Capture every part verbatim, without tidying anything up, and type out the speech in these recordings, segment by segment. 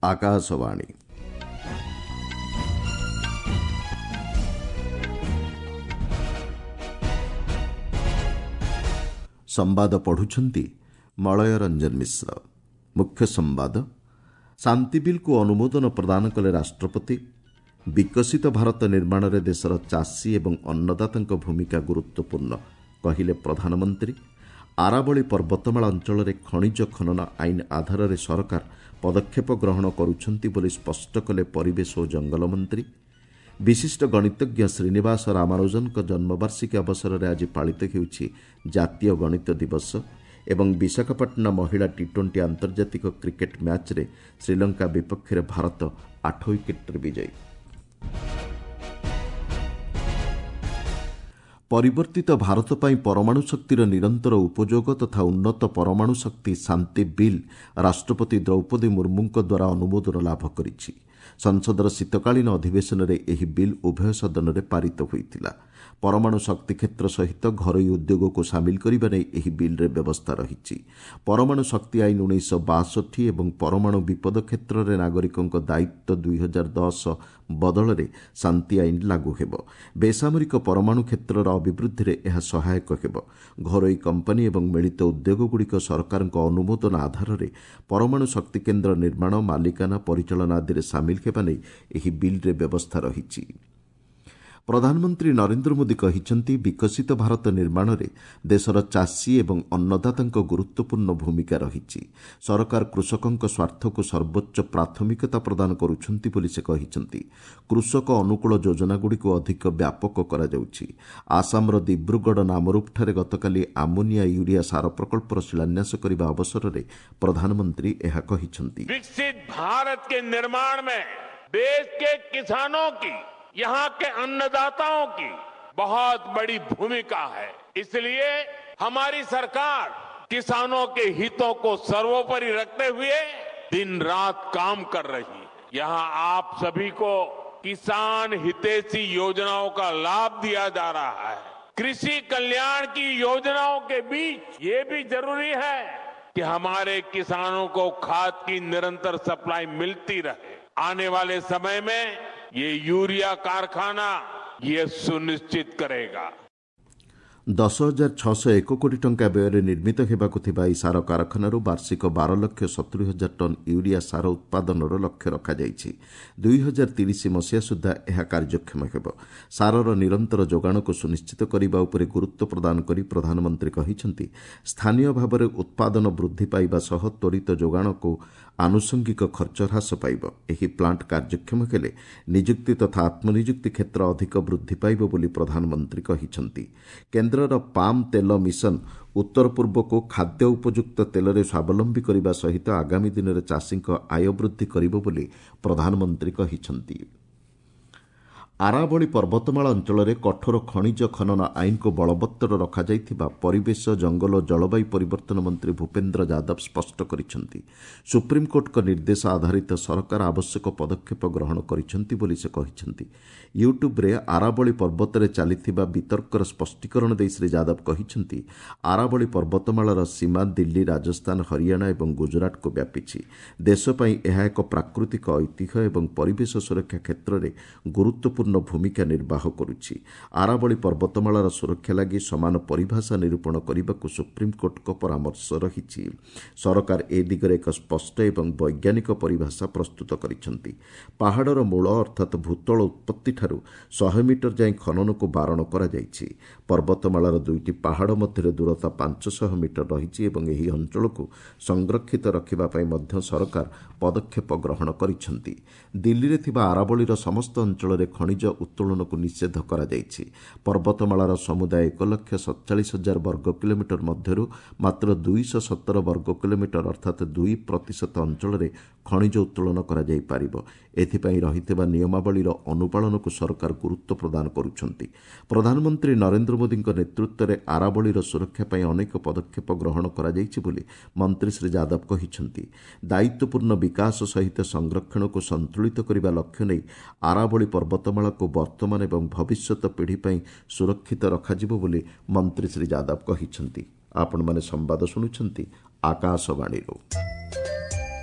ଆକାଶବାଣୀ। ସମ୍ବାଦ ପଢୁଛନ୍ତି ମଳୟ ରଞ୍ଜନ ମିଶ୍ର। ମୁଖ୍ୟ ସମ୍ବାଦ, ଶାନ୍ତି ବିଲ୍କୁ ଅନୁମୋଦନ ପ୍ରଦାନ କଲେ ରାଷ୍ଟ୍ରପତି। ବିକଶିତ ଭାରତ ନିର୍ମାଣରେ ଦେଶର ଚାଷୀ ଏବଂ ଅନ୍ନଦାତାଙ୍କ ଭୂମିକା ଗୁରୁତ୍ୱପୂର୍ଣ୍ଣ କହିଲେ ପ୍ରଧାନମନ୍ତ୍ରୀ। ଆରାବଳୀ ପର୍ବତମାଳା ଅଞ୍ଚଳରେ ଖଣିଜ ଖନନ ଆଇନ ଆଧାରରେ ସରକାର ପଦକ୍ଷେପ ଗ୍ରହଣ କରୁଛନ୍ତି ବୋଲି ସ୍ପଷ୍ଟ କଲେ ପରିବେଶ ଓ ଜଙ୍ଗଲ ମନ୍ତ୍ରୀ। ବିଶିଷ୍ଟ ଗଣିତଜ୍ଞ ଶ୍ରୀନିବାସ ରାମାନୁଜନଙ୍କ ଜନ୍ମବାର୍ଷିକୀ ଅବସରରେ ଆଜି ପାଳିତ ହେଉଛି ଜାତୀୟ ଗଣିତ ଦିବସ। ଏବଂ ବିଶାଖାପାଟଣା ମହିଳା ଟି ଟ୍ୱେଣ୍ଟି ଆନ୍ତର୍ଜାତିକ କ୍ରିକେଟ୍ ମ୍ୟାଚ୍ରେ ଶ୍ରୀଲଙ୍କା ବିପକ୍ଷରେ ଭାରତ ଆଠ ୱିକେଟ୍ରେ ବିଜୟୀ। ପରିବର୍ତ୍ତିତ ଭାରତ ପାଇଁ ପରମାଣୁ ଶକ୍ତିର ନିରନ୍ତର ଉପଯୋଗ ତଥା ଉନ୍ନତ ପରମାଣୁ ଶକ୍ତି ଶାନ୍ତି ବିଲ୍ ରାଷ୍ଟ୍ରପତି ଦ୍ରୌପଦୀ ମୁର୍ମୁଙ୍କ ଦ୍ୱାରା ଅନୁମୋଦନ ଲାଭ କରିଛି। ସଂସଦର ଶୀତକାଳୀନ ଅଧିବେଶନରେ ଏହି ବିଲ୍ ଉଭୟ ସଦନରେ ପାରିତ ହୋଇଥିଲା। ପରମାଣୁ ଶକ୍ତି କ୍ଷେତ୍ର ସହିତ ଘରୋଇ ଉଦ୍ୟୋଗକୁ ସାମିଲ କରିବା ନେଇ ଏହି ବିଲ୍ରେ ବ୍ୟବସ୍ଥା ରହିଛି। ପରମାଣୁ ଶକ୍ତି ଆଇନ ଉଣେଇଶହ ବାଷଠି ଏବଂ ପରମାଣୁ ବିପଦ କ୍ଷେତ୍ରରେ ନାଗରିକଙ୍କ ଦାୟିତ୍ୱ ଦୁଇ ହଜାର ଦଶ ବଦଳରେ ଶାନ୍ତି ଆଇନ ଲାଗୁ ହେବ। ବେସାମରିକ ପରମାଣୁ କ୍ଷେତ୍ରର ଅଭିବୃଦ୍ଧିରେ ଏହା ସହାୟକ ହେବ। ଘରୋଇ କମ୍ପାନୀ ଏବଂ ମିଳିତ ଉଦ୍ୟୋଗଗୁଡ଼ିକ ସରକାରଙ୍କ ଅନୁମୋଦନ ଆଧାରରେ ପରମାଣୁ ଶକ୍ତି କେନ୍ଦ୍ର ନିର୍ମାଣ, ମାଲିକାନା, ପରିଚାଳନା ଆଦିରେ ସାମିଲ ହେବା ନେଇ ଏହି ବିଲ୍ରେ ବ୍ୟବସ୍ଥା ରହିଛି। ପ୍ରଧାନମନ୍ତ୍ରୀ ନରେନ୍ଦ୍ର ମୋଦି କହିଛନ୍ତି, ବିକଶିତ ଭାରତ ନିର୍ମାଣରେ ଦେଶର ଚାଷୀ ଏବଂ ଅନ୍ନଦାତାଙ୍କ ଗୁରୁତ୍ୱପୂର୍ଣ୍ଣ ଭୂମିକା ରହିଛି। ସରକାର କୃଷକଙ୍କ ସ୍ୱାର୍ଥକୁ ସର୍ବୋଚ୍ଚ ପ୍ରାଥମିକତା ପ୍ରଦାନ କରୁଛନ୍ତି ବୋଲି ସେ କହିଛନ୍ତି। କୃଷକ ଅନୁକୂଳ ଯୋଜନାଗୁଡ଼ିକୁ ଅଧିକ ବ୍ୟାପକ କରାଯାଉଛି। ଆସାମର ଦିବ୍ରୁଗଡ଼ ନାମରୂପଠାରେ ଗତକାଲି ଆମୋନିଆ ୟୁରିଆ ସାର ପ୍ରକଳ୍ପର ଶିଳାନ୍ୟାସ କରିବା ଅବସରରେ ପ୍ରଧାନମନ୍ତ୍ରୀ ଏହା କହିଛନ୍ତି। विकसित भारत के निर्माण में देश के किसानों की, यहाँ के अन्नदाताओं की बहुत बड़ी भूमिका है। इसलिए हमारी सरकार किसानों के हितों को सर्वोपरि रखते हुए दिन रात काम कर रही है। यहाँ आप सभी को किसान हितैषी योजनाओं का लाभ दिया जा रहा है। कृषि कल्याण की योजनाओं के बीच ये भी जरूरी है कि हमारे किसानों को खाद की निरंतर सप्लाई मिलती रहे। आने वाले समय में ये यूरिया कारखाना ये सुनिश्चित करेगा। ଦଶ ହଜାର ଛଅଶହ ଏକ କୋଟି ଟଙ୍କା ବ୍ୟୟରେ ନିର୍ମିତ ହେବାକୁ ଥିବା ଏହି ସାର କାରଖାନାରୁ ବାର୍ଷିକ ବାର ଲକ୍ଷ ସତୁରି ହଜାର ଟନ୍ ୟୁରିଆ ସାର ଉତ୍ପାଦନର ଲକ୍ଷ୍ୟ ରଖାଯାଇଛି। ଦୁଇ ହଜାର ତିରିଶ ମସିହା ସୁଦ୍ଧା ଏହା କାର୍ଯ୍ୟକ୍ଷମ ହେବ। ସାରର ନିରନ୍ତର ଯୋଗାଣକୁ ସୁନିଶ୍ଚିତ କରିବା ଉପରେ ଗୁରୁତ୍ୱ ପ୍ରଦାନ କରି ପ୍ରଧାନମନ୍ତ୍ରୀ କହିଛନ୍ତି, ସ୍ଥାନୀୟ ଭାବରେ ଉତ୍ପାଦନ ବୃଦ୍ଧି ପାଇବା ସହ ତ୍ୱରିତ ଯୋଗାଣକୁ ଆନୁଷଙ୍ଗିକ ଖର୍ଚ୍ଚ ହ୍ରାସ ପାଇବ। ଏହି ପ୍ଲାଣ୍ଟ କାର୍ଯ୍ୟକ୍ଷମ ହେଲେ ନିଯୁକ୍ତି ତଥା ଆତ୍ମନିଯୁକ୍ତି କ୍ଷେତ୍ର ଅଧିକ ବୃଦ୍ଧି ପାଇବ ବୋଲି ପ୍ରଧାନମନ୍ତ୍ରୀ କହିଛନ୍ତି। କେନ୍ଦ୍ରର ପାମ୍ ତେଲ ମିଶନ ଉତ୍ତର ପୂର୍ବକୁ ଖାଦ୍ୟ ଉପଯୁକ୍ତ ତେଲରେ ସ୍ୱାବଲମ୍ବୀ କରିବା ସହିତ ଆଗାମୀ ଦିନରେ ଚାଷୀଙ୍କ ଆୟ ବୃଦ୍ଧି କରିବ ବୋଲି ପ୍ରଧାନମନ୍ତ୍ରୀ କହିଛନ୍ତି। ଆରାବଳୀ ପର୍ବତମାଳା ଅଞ୍ଚଳରେ କଠୋର ଖଣିଜ ଖନନ ଆଇନକୁ ବଳବତ୍ତର ରଖାଯାଇଥିବା ପରିବେଶ, ଜଙ୍ଗଲ ଓ ଜଳବାୟୁ ପରିବର୍ତ୍ତନ ମନ୍ତ୍ରୀ ଭୂପେନ୍ଦ୍ର ଯାଦବ ସ୍ପଷ୍ଟ କରିଛନ୍ତି। ସୁପ୍ରିମକୋର୍ଟଙ୍କ ନିର୍ଦ୍ଦେଶ ଆଧାରିତ ସରକାର ଆବଶ୍ୟକ ପଦକ୍ଷେପ ଗ୍ରହଣ କରିଛନ୍ତି ବୋଲି ସେ କହିଛନ୍ତି। ୟୁଟ୍ୟୁବ୍ରେ ଆରାବଳୀ ପର୍ବତରେ ଚାଲିଥିବା ବିତର୍କର ସ୍ପଷ୍ଟୀକରଣ ଦେଇ ଶ୍ରୀ ଯାଦବ କହିଛନ୍ତି, ଆରାବଳୀ ପର୍ବତମାଳାର ସୀମା ଦିଲ୍ଲୀ, ରାଜସ୍ଥାନ, ହରିୟାଣା ଏବଂ ଗୁଜରାଟକୁ ବ୍ୟାପିଛି। ଦେଶ ପାଇଁ ଏହା ଏକ ପ୍ରାକୃତିକ ଐତିହ୍ୟ ଏବଂ ପରିବେଶ ସୁରକ୍ଷା କ୍ଷେତ୍ରରେ ଗୁରୁତ୍ୱପୂର୍ଣ୍ଣ ଭୂମିକା ନିର୍ବାହ କରୁଛି। ଆରାବଳୀ ପର୍ବତମାଳାର ସୁରକ୍ଷା ଲାଗି ସମାନ ପରିଭାଷା ନିରୂପଣ କରିବାକୁ ସୁପ୍ରିମକୋର୍ଟଙ୍କ ପରାମର୍ଶ ରହିଛି। ସରକାର ଏ ଦିଗରେ ଏକ ସ୍ପଷ୍ଟ ଏବଂ ବୈଜ୍ଞାନିକ ପରିଭାଷା ପ୍ରସ୍ତୁତ କରିଛନ୍ତି। ପାହାଡ଼ର ମୂଳ ଅର୍ଥାତ୍ ଭୂତଳ ଉତ୍ପତ୍ତିଠାରୁ ଶହେ ମିଟର ଯାଏଁ ଖନନକୁ ବାରଣ କରାଯାଇଛି। ପର୍ବତମାଳାର ଦୁଇଟି ପାହାଡ଼ ମଧ୍ୟରେ ଦୂରତା ପାଞ୍ଚଶହ ମିଟର ରହିଛି ଏବଂ ଏହି ଅଞ୍ଚଳକୁ ସଂରକ୍ଷିତ ରଖିବା ପାଇଁ ମଧ୍ୟ ସରକାର ପଦକ୍ଷେପ ଗ୍ରହଣ କରିଛନ୍ତି। ଦିଲ୍ଲୀରେ ଥିବା ଆରାବଳୀର ସମସ୍ତ ଅଞ୍ଚଳରେ ଖଣିଜ ଉତ୍ତୋଳନକୁ ନିଷେଧ କରାଯାଇଛି। ପର୍ବତମାଳାର ସମୁଦାୟ ଏକ ଲକ୍ଷ ସତଚାଳିଶ ହଜାର ବର୍ଗ କିଲୋମିଟର ମଧ୍ୟରୁ ମାତ୍ର ଦୁଇଶହ ସତର ବର୍ଗ କିଲୋମିଟର ଅର୍ଥାତ୍ ଦୁଇ ପ୍ରତିଶତ ଅଞ୍ଚଳରେ ଖଣିଜ ଉତ୍ତୋଳନ କରାଯାଇପାରିବ। ଏଥିପାଇଁ ରହିଥିବା ନିୟମାବଳୀର ଅନୁପାଳନକୁ ସରକାର ଗୁରୁତ୍ୱ ପ୍ରଦାନ କରୁଛନ୍ତି। ପ୍ରଧାନମନ୍ତ୍ରୀ ନରେନ୍ଦ୍ର ମୋଦିଙ୍କ ନେତୃତ୍ୱରେ ଆରାବଳୀର ସୁରକ୍ଷା ପାଇଁ ଅନେକ ପଦକ୍ଷେପ ଗ୍ରହଣ କରାଯାଇଛି ବୋଲି ମନ୍ତ୍ରୀ ଶ୍ରୀ ଯାଦବ କହିଛନ୍ତି। ଦାୟିତ୍ୱପୂର୍ଣ୍ଣ ବିକାଶ ସହିତ ସଂରକ୍ଷଣକୁ ସନ୍ତୁଳିତ କରିବା ଲକ୍ଷ୍ୟ ନେଇ ଆରାବଳୀ ପର୍ବତମାଳାକୁ ବର୍ତ୍ତମାନ ଏବଂ ଭବିଷ୍ୟତ ପିଢ଼ି ପାଇଁ ସୁରକ୍ଷିତ ରଖାଯିବ ବୋଲି ମନ୍ତ୍ରୀ ଶ୍ରୀ ଯାଦବ କହିଛନ୍ତି। ଆପଣମାନେ ସମ୍ବାଦ ଶୁଣୁଛନ୍ତି ଆକାଶବାଣୀରୁ।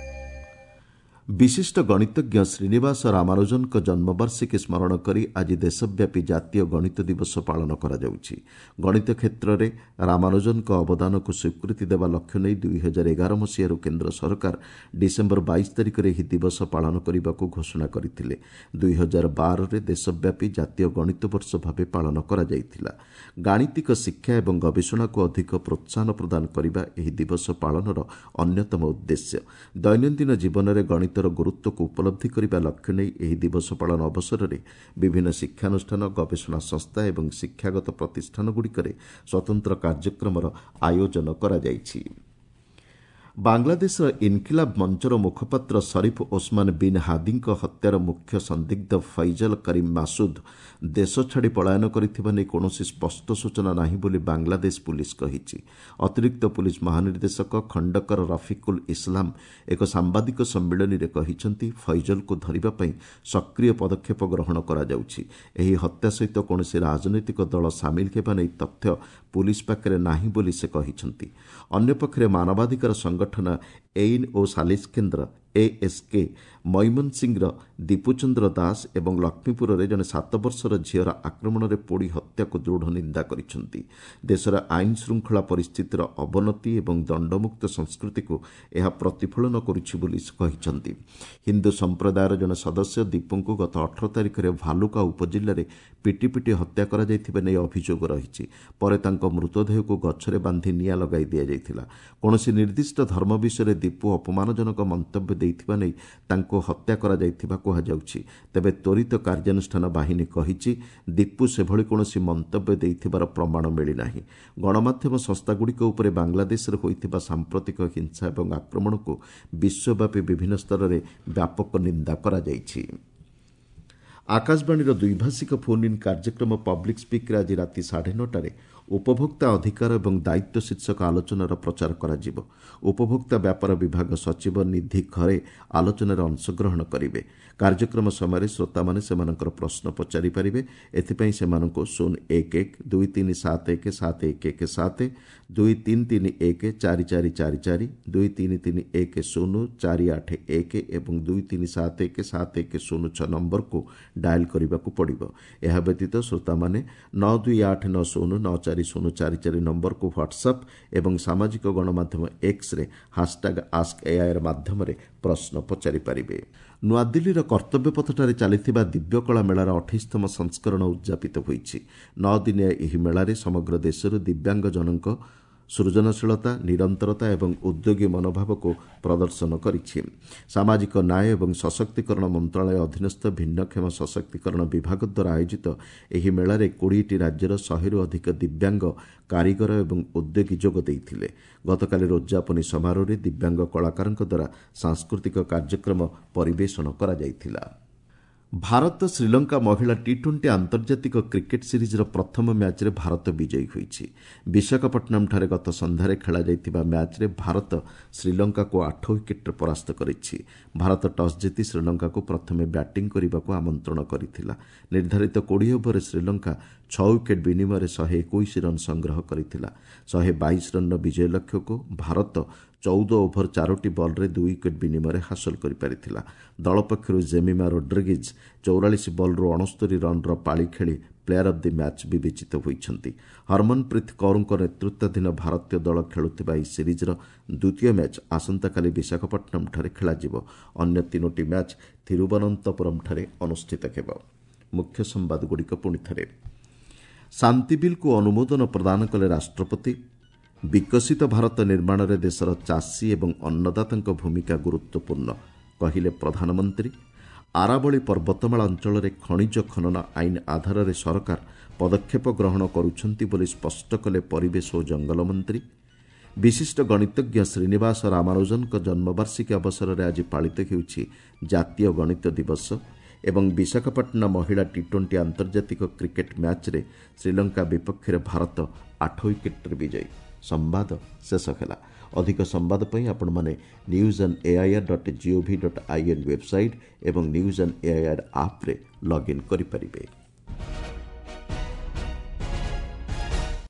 ବିଶିଷ୍ଟ ଗଣିତଜ୍ଞ ଶ୍ରୀନିବାସ ରାମାନୁଜନଙ୍କ ଜନ୍ମବାର୍ଷିକୀ ସ୍ମରଣ କରି ଆଜି ଦେଶବ୍ୟାପୀ ଜାତୀୟ ଗଣିତ ଦିବସ ପାଳନ କରାଯାଉଛି। ଗଣିତ କ୍ଷେତ୍ରରେ ରାମାନୁଜନଙ୍କ ଅବଦାନକୁ ସ୍ୱୀକୃତି ଦେବା ଲକ୍ଷ୍ୟ ନେଇ ଦୁଇ ହଜାର ଏଗାର ମସିହାରୁ କେନ୍ଦ୍ର ସରକାର ଡିସେମ୍ବର ବାଇଶ ତାରିଖରେ ଏହି ଦିବସ ପାଳନ କରିବାକୁ ଘୋଷଣା କରିଥିଲେ। ଦୁଇ ହଜାର ବାରରେ ଦେଶବ୍ୟାପୀ ଜାତୀୟ ଗଣିତ ବର୍ଷ ଭାବେ ପାଳନ କରାଯାଇଥିଲା। ଗାଣିତିକ ଶିକ୍ଷା ଏବଂ ଗବେଷଣାକୁ ଅଧିକ ପ୍ରୋତ୍ସାହନ ପ୍ରଦାନ କରିବା ଏହି ଦିବସ ପାଳନର ଅନ୍ୟତମ ଉଦ୍ଦେଶ୍ୟ। ଦୈନନ୍ଦିନ ଜୀବନରେ ଗଣିତ ଗୁରୁତ୍ୱକୁ ଉପଲବ୍ଧି କରିବା ଲକ୍ଷ୍ୟ ନେଇ ଏହି ଦିବସ ପାଳନ ଅବସରରେ ବିଭିନ୍ନ ଶିକ୍ଷାନୁଷ୍ଠାନ, ଗବେଷଣା ସଂସ୍ଥା ଏବଂ ଶିକ୍ଷାଗତ ପ୍ରତିଷ୍ଠାନଗୁଡ଼ିକରେ ସ୍ୱତନ୍ତ୍ର କାର୍ଯ୍ୟକ୍ରମର ଆୟୋଜନ କରାଯାଇଛି। ବାଂଲାଦେଶର ଇନକିଲାବ ମଞ୍ଚର ମୁଖପାତ୍ର ସରିଫ ଓସମାନ ବିନ୍ ହାଦିଙ୍କ ହତ୍ୟାର ମୁଖ୍ୟ ସନ୍ଦିଗ୍ଧ ଫୈଜଲ କରିମ୍ ମାସୁଦ ଦେଶ ଛାଡ଼ି ପଳାୟନ କରିଥିବା ନେଇ କୌଣସି ସ୍ପଷ୍ଟ ସୂଚନା ନାହିଁ ବୋଲି ବାଂଲାଦେଶ ପୁଲିସ୍ କହିଛି। ଅତିରିକ୍ତ ପୁଲିସ୍ ମହାନିର୍ଦ୍ଦେଶକ ଖଣ୍ଡକର ରଫିକୁଲ ଇସଲାମ ଏକ ସାମ୍ବାଦିକ ସମ୍ମିଳନୀରେ କହିଛନ୍ତି, ଫୈଜଲକୁ ଧରିବା ପାଇଁ ସକ୍ରିୟ ପଦକ୍ଷେପ ଗ୍ରହଣ କରାଯାଉଛି। ଏହି ହତ୍ୟା ସହିତ କୌଣସି ରାଜନୈତିକ ଦଳ ସାମିଲ ହେବା ନେଇ ତଥ୍ୟ ପୁଲିସ୍ ପାଖରେ ନାହିଁ ବୋଲି ସେ କହିଛନ୍ତି। ଅନ୍ୟପକ୍ଷରେ ମାନବାଧିକାର ସଂଗଠନ ଏଇନ୍ ଓ ସାଲିସ କେନ୍ଦ୍ର ଏଏସ୍କେ ମଇମନସିଂର ଦୀପୁଚନ୍ଦ୍ର ଦାସ ଏବଂ ଲକ୍ଷ୍ମୀପୁରରେ ଜଣେ ସାତ ବର୍ଷର ଝିଅର ଆକ୍ରମଣରେ ପୋଡ଼ି ହତ୍ୟାକୁ ଦୃଢ଼ ନିନ୍ଦା କରିଛନ୍ତି। ଦେଶର ଆଇନ ଶୃଙ୍ଖଳା ପରିସ୍ଥିତିର ଅବନତି ଏବଂ ଦଣ୍ଡମୁକ୍ତ ସଂସ୍କୃତିକୁ ଏହା ପ୍ରତିଫଳନ କରୁଛି ବୋଲି ସେ କହିଛନ୍ତି। ହିନ୍ଦୁ ସମ୍ପ୍ରଦାୟର ଜଣେ ସଦସ୍ୟ ଦୀପୁଙ୍କୁ ଗତ ଅଠର ତାରିଖରେ ଭାଲୁକା ଉପଜିଲ୍ଲାରେ ପିଟି ପିଟି ହତ୍ୟା କରାଯାଇଥିବା ନେଇ ଅଭିଯୋଗ ରହିଛି। ପରେ ତାଙ୍କ ମୃତଦେହକୁ ଗଛରେ ବାନ୍ଧି ନିଆଁ ଲଗାଇ ଦିଆଯାଇଥିଲା। କୌଣସି ନିର୍ଦ୍ଦିଷ୍ଟ ଧର୍ମ ବିଷୟରେ ଦୀପୁ ଅପମାନଜନକ ମନ୍ତବ୍ୟ ଦେଇଥିବା ନେଇ ତାଙ୍କୁ ହତ୍ୟା କରାଯାଇଥିବା କୁହାଯାଉଛି। ତେବେ ତ୍ୱରିତ କାର୍ଯ୍ୟାନୁଷ୍ଠାନ ବାହିନୀ କହିଛି, ଦୀପୁ ସେଭଳି କୌଣସି ମନ୍ତବ୍ୟ ଦେଇଥିବାର ପ୍ରମାଣ ମିଳିନାହିଁ। ଗଣମାଧ୍ୟମ ସଂସ୍ଥାଗୁଡ଼ିକ ଉପରେ ବାଂଲାଦେଶରେ ହୋଇଥିବା ସାମ୍ପ୍ରତିକ ହିଂସା ଏବଂ ଆକ୍ରମଣକୁ ବିଶ୍ୱବ୍ୟାପୀ ବିଭିନ୍ନ ସ୍ତରରେ ବ୍ୟାପକ ନିନ୍ଦା କରାଯାଇଛି। ଆକାଶବାଣୀର ଦ୍ୱିଭାଷିକ ଫୋନ୍ ଇନ୍ କାର୍ଯ୍ୟକ୍ରମ ପବ୍ଲିକ୍ ସ୍ପିକ୍ରେ ଆଜି ରାତି ସାଢ଼େ ନଅଟାରେ ଉପଭୋକ୍ତା ଅଧିକାର ଏବଂ ଦାୟିତ୍ୱ ଶୀର୍ଷକ ଆଲୋଚନାର ପ୍ରଚାର କରାଯିବ। ଉପଭୋକ୍ତା ବ୍ୟାପାର ବିଭାଗ ସଚିବ ନିଧି ଖରେ ଆଲୋଚନାରେ ଅଂଶଗ୍ରହଣ କରିବେ। କାର୍ଯ୍ୟକ୍ରମ ସମୟରେ ଶ୍ରୋତାମାନେ ସେମାନଙ୍କର ପ୍ରଶ୍ନ ପଚାରିପାରିବେ। ଏଥିପାଇଁ ସେମାନଙ୍କୁ ଶୂନ ଏକ ଏକ ଦୁଇ ତିନି ସାତ ଏକ ସାତ ଏକ ଏକ ସାତ, ଦୁଇ ତିନି ତିନି ଏକ ଚାରି ଚାରି ଚାରି ଚାରି, ଦୁଇ ତିନି ତିନି ଏକ ଶୂନ ଚାରି ଆଠ ଏକ ଏବଂ ଦୁଇ ତିନି ସାତ ଏକ ସାତ ଏକ ଶୂନ ଛଅ ନମ୍ବରକୁ ଡାଏଲ୍ କରିବାକୁ ପଡ଼ିବ। ଏହା ବ୍ୟତୀତ ଶ୍ରୋତାମାନେ ନଅ ଦୁଇ ଆଠ ନଅ ଶୂନ ନଅ ଚାରି ଶୂନ ଚାରି ଚାରି ନମ୍ବରକୁ ହ୍ୱାଟ୍ସଆପ୍ ଏବଂ ସାମାଜିକ ଗଣମାଧ୍ୟମ ଏକ୍ସରେ ହାସଟ୍ୟାଗ୍ ଆସ୍କ ଏଆଇଆର୍ ମାଧ୍ୟମରେ ପ୍ରଶ୍ନ ପଚାରିପାରିବେ। ନୂଆଦିଲ୍ଲୀର କର୍ତ୍ତବ୍ୟପଥଠାରେ ଚାଲିଥିବା ଦିବ୍ୟକଳା ମେଳାର ଅଠେଇଶତମ ସଂସ୍କରଣ ଉଦ୍ଯାପିତ ହୋଇଛି। ନଅ ଦିନିଆ ଏହି ମେଳାରେ ସମଗ୍ର ଦେଶରୁ ଦିବ୍ୟାଙ୍ଗଜନଙ୍କ ସୃଜନଶୀଳତା, ନିରନ୍ତରତା ଏବଂ ଉଦ୍ୟୋଗୀ ମନୋଭାବକୁ ପ୍ରଦର୍ଶନ କରିଛି। ସାମାଜିକ ନ୍ୟାୟ ଏବଂ ସଶକ୍ତିକରଣ ମନ୍ତ୍ରଣାଳୟ ଅଧୀନସ୍ଥ ଭିନ୍ନକ୍ଷମ ସଶକ୍ତିକରଣ ବିଭାଗ ଦ୍ୱାରା ଆୟୋଜିତ ଏହି ମେଳାରେ କୋଡ଼ିଏଟି ରାଜ୍ୟର ଶହେରୁ ଅଧିକ ଦିବ୍ୟାଙ୍ଗ କାରିଗର ଏବଂ ଉଦ୍ୟୋଗୀ ଯୋଗ ଦେଇଥିଲେ। ଗତକାଲିର ଉଦ୍ଯାପନୀ ସମାରୋହରେ ଦିବ୍ୟାଙ୍ଗ କଳାକାରଙ୍କ ଦ୍ୱାରା ସାଂସ୍କୃତିକ କାର୍ଯ୍ୟକ୍ରମ ପରିବେଷଣ କରାଯାଇଥିଲା। ଭାରତ ଶ୍ରୀଲଙ୍କା ମହିଳା ଟି ଟ୍ୱେଣ୍ଟି ଆନ୍ତର୍ଜାତିକ କ୍ରିକେଟ୍ ସିରିଜ୍ର ପ୍ରଥମ ମ୍ୟାଚ୍ରେ ଭାରତ ବିଜୟୀ ହୋଇଛି। ବିଶାଖାପଟ୍ଟନମଠାରେ ଗତ ସନ୍ଧ୍ୟାରେ ଖେଳାଯାଇଥିବା ମ୍ୟାଚ୍ରେ ଭାରତ ଶ୍ରୀଲଙ୍କାକୁ ଆଠ ୱିକେଟ୍ରେ ପରାସ୍ତ କରିଛି। ଭାରତ ଟସ୍ ଜିତି ଶ୍ରୀଲଙ୍କାକୁ ପ୍ରଥମେ ବ୍ୟାଟିଂ କରିବାକୁ ଆମନ୍ତ୍ରଣ କରିଥିଲା। ନିର୍ଦ୍ଧାରିତ କୋଡ଼ିଏ ଓଭରରେ ଶ୍ରୀଲଙ୍କା ଛଅ ୱିକେଟ୍ ବିନିମୟରେ ଶହେ ଏକୋଇଶ ରନ୍ ସଂଗ୍ରହ କରିଥିଲା। ଶହେ ବାଇଶ ରନ୍ର ବିଜୟ ଲକ୍ଷ୍ୟକୁ ଭାରତ ଚଉଦ ଓଭର ଚାରୋଟି ବଲ୍ରେ ଦୁଇ ୱିକେଟ୍ ବିନିମୟରେ ହାସଲ କରିପାରିଥିଲା। ଦଳ ପକ୍ଷରୁ ଜେମିମା ରୋଡ୍ରିଗିଜ୍ ଚଉରାଳିଶ ବଲ୍ରୁ ଅଣସ୍ତରୀ ରନ୍ର ପାଳି ଖେଳି ପ୍ଲେୟାର ଅଫ୍ the match ବିବେଚିତ ହୋଇଛନ୍ତି। ହରମନପ୍ରୀତ କୌରଙ୍କ ନେତୃତ୍ୱାଧୀନ ଭାରତୀୟ ଦଳ ଖେଳୁଥିବା ଏହି ସିରିଜ୍ର ଦ୍ୱିତୀୟ ମ୍ୟାଚ୍ ଆସନ୍ତାକାଲି ବିଶାଖାପଟ୍ଟନମଠାରେ ଖେଳାଯିବ। ଅନ୍ୟ ତିନୋଟି ମ୍ୟାଚ୍ ଥିରୁବନନ୍ତପୁରମଠାରେ ଅନୁଷ୍ଠିତ ହେବ। ମୁଖ୍ୟ ସମ୍ବାଦଗୁଡ଼ିକ ପୁଣି ଥରେ। ଶାନ୍ତି ବିଲ୍କୁ ଅନୁମୋଦନ ପ୍ରଦାନ କଲେ ରାଷ୍ଟ୍ରପତି। ବିକଶିତ ଭାରତ ନିର୍ମାଣରେ ଦେଶର ଚାଷୀ ଏବଂ ଅନ୍ନଦାତାଙ୍କ ଭୂମିକା ଗୁରୁତ୍ୱପୂର୍ଣ୍ଣ କହିଲେ ପ୍ରଧାନମନ୍ତ୍ରୀ। ଆରାବଳୀ ପର୍ବତମାଳା ଅଞ୍ଚଳରେ ଖଣିଜ ଖନନ ଆଇନ ଆଧାରରେ ସରକାର ପଦକ୍ଷେପ ଗ୍ରହଣ କରୁଛନ୍ତି ବୋଲି ସ୍ପଷ୍ଟ କଲେ ପରିବେଶ ଓ ଜଙ୍ଗଲ ମନ୍ତ୍ରୀ। ବିଶିଷ୍ଟ ଗଣିତଜ୍ଞ ଶ୍ରୀନିବାସ ରାମାନୁଜନଙ୍କ ଜନ୍ମବାର୍ଷିକୀ ଅବସରରେ ଆଜି ପାଳିତ ହେଉଛି ଜାତୀୟ ଗଣିତ ଦିବସ। ଏବଂ ବିଶାଖାପାଟଣା ମହିଳା ଟି ଟ୍ୱେଣ୍ଟି ଆନ୍ତର୍ଜାତିକ କ୍ରିକେଟ୍ ମ୍ୟାଚ୍ରେ ଶ୍ରୀଲଙ୍କା ବିପକ୍ଷରେ ଭାରତ ଆଠ ୱିକେଟ୍ରେ ବିଜୟୀ। ସମ୍ବାଦ ଶେଷ ହେଲା। ଅଧିକ ସମ୍ବାଦ ପାଇଁ ଆପଣମାନେ news on AIR dot gov dot I N website ଏବଂ ନ୍ୟୁଜ୍ ଅନ୍ ଏଆଇଆର୍ ଆପ୍ରେ ଲଗ୍ଇନ୍ କରିପାରିବେ।